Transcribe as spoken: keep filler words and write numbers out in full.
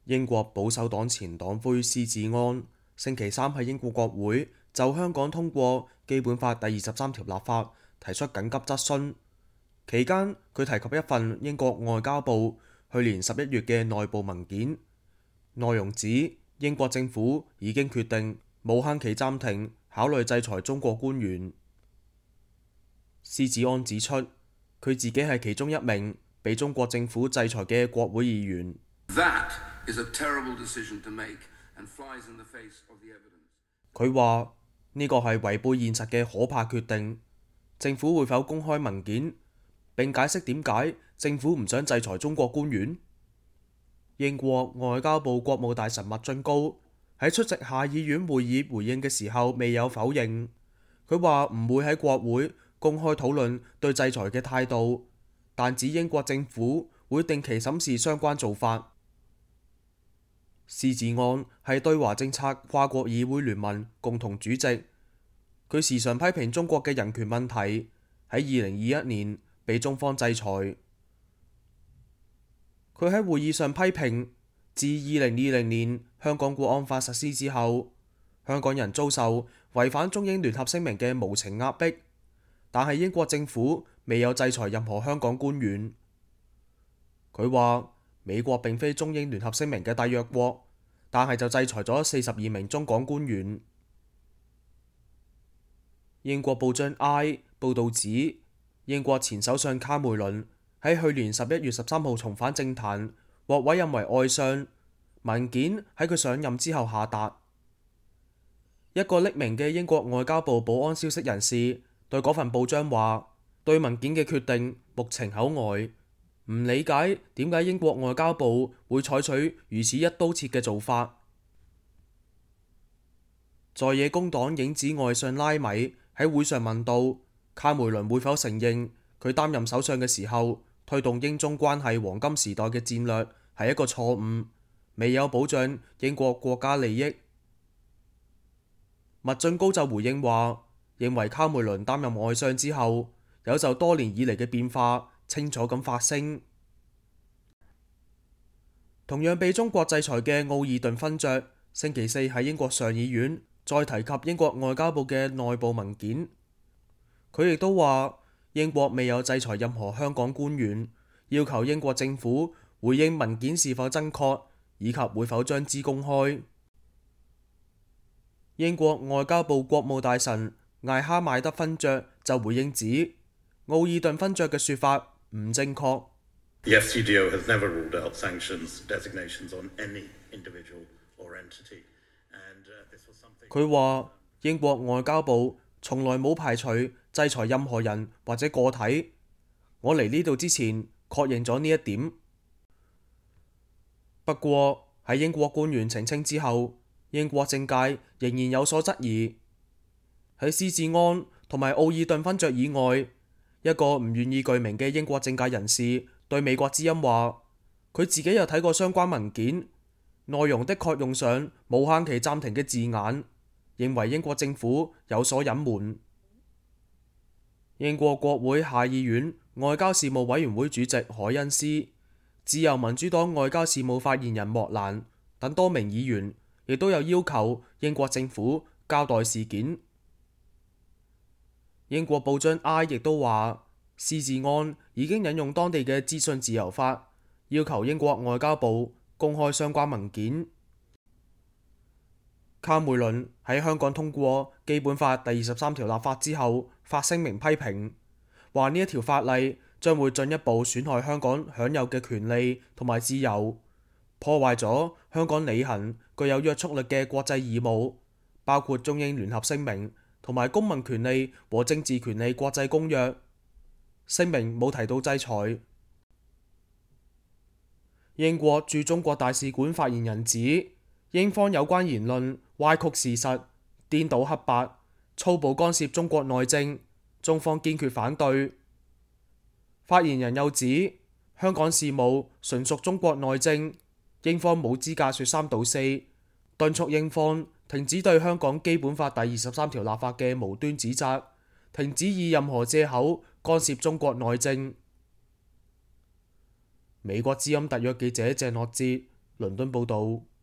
英國保守黨前黨魁施志安星期三喺英國國會就香港通過基本法第二十三條立法提出緊急質詢，期間佢提及一份英國外交部去年十一月嘅內部文件，內容指英國政府已經決定無限期暫停考慮制裁中國官員。施志安指出，佢自己係其中一名被中國政府制裁嘅國會議員。佢話呢個係違背現實嘅可怕決定。政府會否公開文件並解釋點解政府唔想制裁中國官員？英國外交部國務大臣麥俊高喺出席下議院會議回應嘅時候未有否認。佢話唔會喺國會公開討論對制裁嘅態度，但指英國政府會定期審視相關做法。施志安係對華政策跨國議會聯盟共同主席，佢時常批評中國嘅人權問題，喺二零二一年被中方制裁。佢喺會議上批評，自二零二零年香港國安法實施之後，香港人遭受違反中英聯合聲明嘅無情壓迫，但係英國政府未有制裁任何香港官員。佢話美國並非中英聯合聲明嘅締約國，但係就制裁咗四十二名中港官員。英國報章 I 報導指，英國前首相卡梅倫喺去年十一月十三號重返政壇，獲委任為外相。文件喺佢上任之後下達。一個匿名嘅英國外交部保安消息人士對嗰份報章話，對文件嘅決定目情口呆，唔理解點解英國外交部會採取如此一刀切嘅做法。在野工黨影子外相拉米喺會上問到卡梅倫會否承認佢擔任首相嘅時候推動英中關係黃金時代嘅戰略係一個錯誤，未有保障英國國家利益。麥俊高就回應話，認為卡梅倫擔任外相之後有就多年以嚟嘅變化清楚咁發聲。同樣被中國制裁嘅奧爾頓勳爵星期四喺英國上議院再提及英國外交部嘅內部文件，佢亦都話英國未有制裁任何香港官員，要求英國政府回應文件是否真確，以及會否將之公開。英國外交部國務大臣艾哈邁德勳爵就回應指，奧爾頓勳爵嘅說法唔正確。The F C D O has never ruled out sanctions designations on any individual or entity. And this was something. 佢話英國外交部從來冇排除制裁任何人或者個體。我嚟呢度之前確認咗呢一點。不過喺英國官員澄清之後，英國政界仍然有所質疑。喺施志安同埋奧爾頓勳爵以外，一個唔願意具名嘅英國政界人士對美國之音話，佢自己有睇過相關文件，內容的確用上無限期暫停嘅字眼，認為英國政府有所隱瞞。英國國會下議院外交事務委員會主席凱恩斯、自由民主黨外交事務發言人莫蘭等多名議員亦都有要求英國政府交代事件。英國報章 I 亦都話，施志安已經引用當地嘅資訊自由法，要求英國外交部公開相關文件。卡梅倫喺香港通過基本法第二十三條立法之後，發聲明批評，話呢一條法例將會進一步損害香港享有嘅權利同埋自由，破壞咗香港履行具有約束力嘅國際義務，包括中英聯合聲明同埋公民權利和政治權利國際公約。聲明冇提到制裁。英國駐中國大使館發言人指，英方有關言論歪曲事實、顛倒黑白、粗暴干涉中國內政，中方堅決反對。發言人又指，香港事務純屬中國內政，英方冇資格說三道四，敦促英方停止對香港基本法第二十三條立法嘅無端指責，停止以任何藉口干涉中國內政。美國之音特約記者鄭諾哲倫敦報導。